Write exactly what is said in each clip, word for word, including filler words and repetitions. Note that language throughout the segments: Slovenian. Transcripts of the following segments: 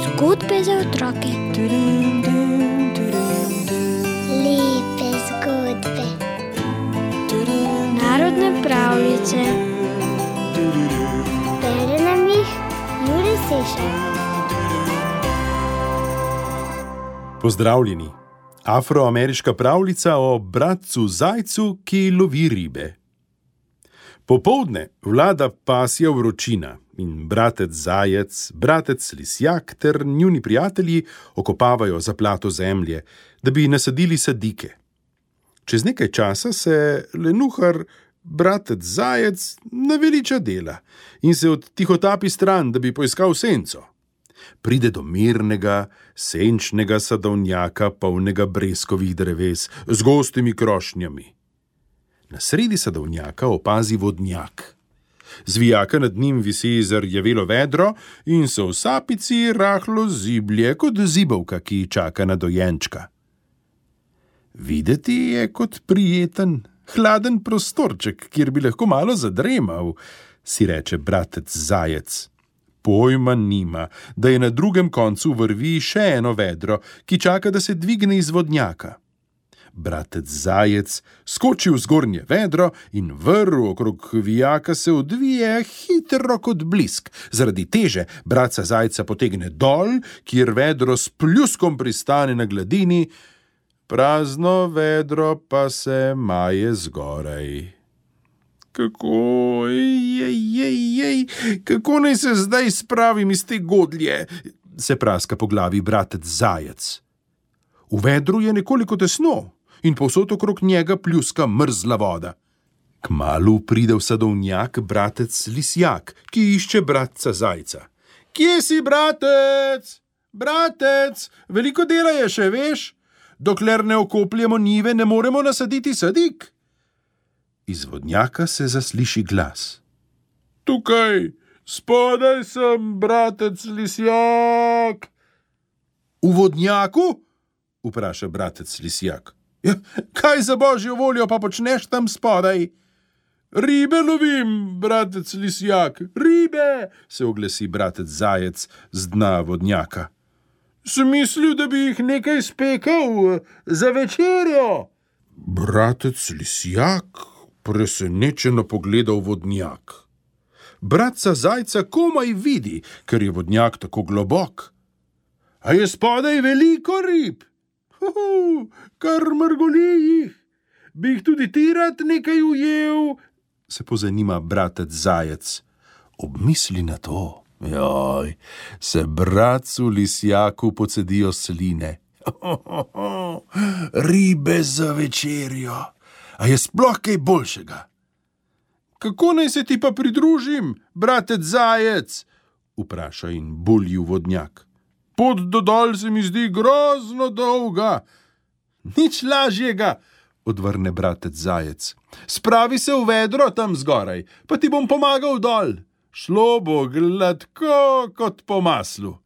Zgodbe za otroke. Lepe zgodbe. Narodne pravljice. Bere nam jih Jure Sešar. Pozdravljeni. Afroameriška pravljica o bratcu zajcu, ki lovi ribe. Popoldne vlada pasja vročina in bratec zajec, bratec lisjak ter njuni prijatelji okopavajo zaplato zemlje, da bi nasadili sadike. Čez nekaj časa se lenuhar, bratec zajec, naveliča dela in se odtihotapi stran, da bi poiskal senco. Pride do mirnega, senčnega sadovnjaka, polnega breskovih dreves, z gostimi krošnjami. Na sredi sadovnjaka opazi vodnjak. Z vijaka nad njim visi zarjavelo vedro in se v sapici rahlo ziblje, kot zibelka, ki čaka na dojenčka. Videti je kot prijeten, hladen prostorček, kjer bi lahko malo zadremal, si reče bratec zajec. Pojma nima, da je na drugem koncu vrvi še eno vedro, ki čaka, da se dvigne iz vodnjaka. Bratec zajec skoči v zgornje vedro in vrv okrog vijaka se odvije hitro kot blisk. Zaradi teže bratca zajca potegne dol, kjer vedro s pljuskom pristane na gladini, prazno vedro pa se maje zgoraj. Kako, jej, jej, jej, kako naj se zdaj spravim iz te godlje, se praska po glavi bratec zajec. V vedru je nekoliko tesno in povsod okrog njega pljuska mrzla voda. Kmalu pride v sadovnjak bratec lisjak, ki išče bratca zajca. Kje si, bratec? Bratec, veliko dela je še, veš? Dokler ne okopljemo njive, ne moremo nasaditi sadik. Iz vodnjaka se zasliši glas. Tukaj, spodaj sem, bratec lisjak. V vodnjaku? Vpraša bratec lisjak. Ja, kaj za božjo voljo pa počneš tam spodaj? Ribe lovim, bratec lisjak, ribe, se oglasi bratec zajec z dna vodnjaka. Sem mislil, da bi jih nekaj spekal za večerjo. Bratec lisjak presenečeno pogleda v vodnjak. Bratca zajca komaj vidi, ker je vodnjak tako globok. A je spodaj veliko rib? Huhu, kar mrgoli jih. Bi jih tudi ti rad nekaj ujel? Se pozanima bratec zajec. Obmisli na to. Joj, se bratcu lisjaku pocedijo sline. Ribe za večerjo. A je sploh kaj boljšega? Kako naj se ti pa pridružim, bratec zajec? Vpraša in bulji v vodnjak. Pot do dol se mi zdi grozno dolga. Nič lažjega, odvrne bratec zajec. Spravi se v vedro tam zgoraj, pa ti bom pomagal dol. Šlo bo gladko kot po maslu.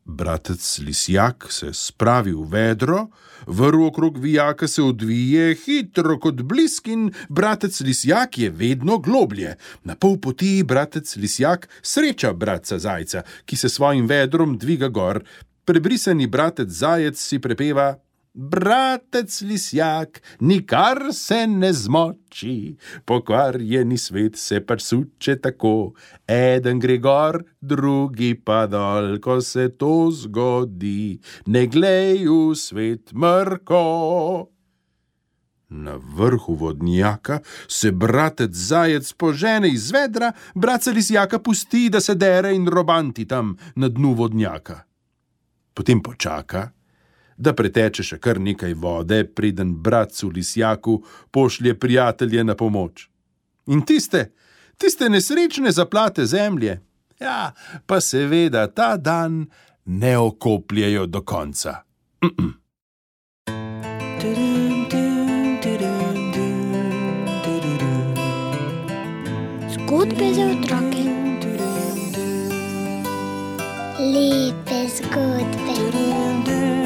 Bratec lisjak se spravi v vedro, vrv okrog vijaka se odvije hitro kot blisk in bratec lisjak je vedno globlje. Na pol poti bratec lisjak sreča bratca zajca, ki se svojim vedrom dviga gor. Prebrisani bratec zajec si prepeva: Bratec lisjak, nikar se ne zmoči, pokvarjeni svet se pač suče tako. Eden gre gor, drugi pa dol, ko se to zgodi, ne glej v svet mrko. Na vrhu vodnjaka se bratec zajec požene iz vedra, bratca lisjaka pusti, da se dere in robanti tam na dnu vodnjaka. Potem počaka, da preteče še kar nekaj vode, preden bratcu lisjaku pošlje prijatelje na pomoč. In tiste, tiste nesrečne zaplate zemlje, ja, pa seveda ta dan ne okopljejo do konca. Mm-mm. Zgodbe za otroke. Lepe zgodbe.